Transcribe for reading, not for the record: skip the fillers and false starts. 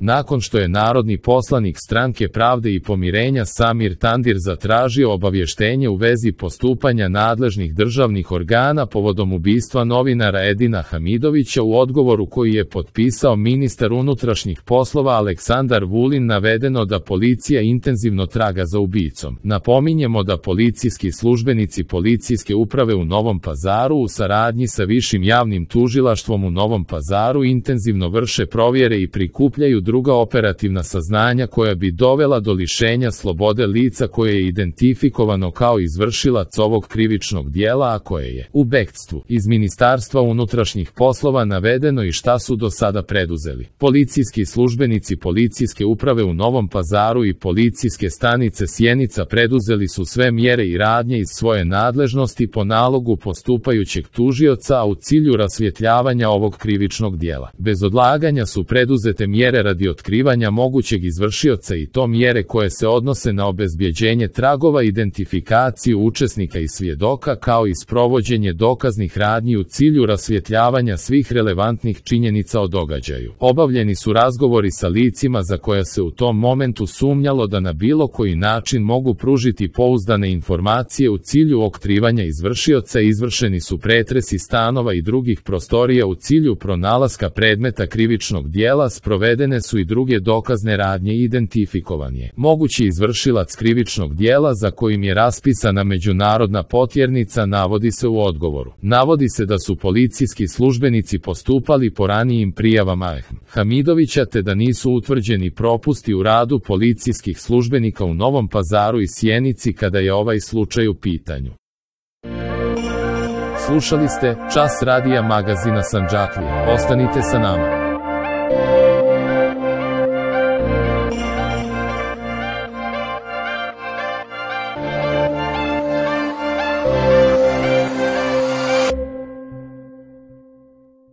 Nakon što je narodni poslanik Stranke pravde i pomirenja Samir Tandir zatražio obavještenje u vezi postupanja nadležnih državnih organa povodom ubistva novinara Edina Hamidovića, u odgovoru koji je potpisao ministar unutrašnjih poslova Aleksandar Vulin navedeno da policija intenzivno traga za ubicom. Napominjemo da policijski službenici Policijske uprave u Novom Pazaru u saradnji sa Višim javnim tužilaštvom u Novom Pazaru intenzivno vrše provjere i prikupljaju druga operativna saznanja koja bi dovela do lišenja slobode lica koje je identifikovano kao izvršilac ovog krivičnog dijela, a koje je u bekstvu. Iz Ministarstva unutrašnjih poslova navedeno i šta su do sada preduzeli. Policijski službenici Policijske uprave u Novom Pazaru i policijske stanice Sjenica preduzeli su sve mjere i radnje iz svoje nadležnosti po nalogu postupajućeg tužioca, a u cilju rasvjetljavanja ovog krivičnog dijela. Bez odlaganja su preduzete mjere radi otkrivanja mogućeg izvršioca, i to mjere koje se odnose na obezbjeđenje tragova, identifikaciju učesnika i svjedoka, kao i sprovođenje dokaznih radnji u cilju rasvjetljavanja svih relevantnih činjenica o događaju. Obavljeni su razgovori sa licima za koja se u tom momentu sumnjalo da na bilo koji način mogu pružiti pouzdane informacije u cilju otkrivanja izvršioca. Izvršeni su pretresi stanova i drugih prostorija u cilju pronalaska predmeta krivičnog dijela, sprovedene su i druge dokazne radnje i identifikovan je mogući izvršilac krivičnog dijela za kojim je raspisana međunarodna potjernica, navodi se u odgovoru. Navodi se da su policijski službenici postupali po ranijim prijavama Hamidovića, te da nisu utvrđeni propusti u radu policijskih službenika u Novom Pazaru i Sjenici kada je ovaj slučaj u pitanju. Slušali ste Čas radija magazina Sandžaklija. Ostanite sa nama.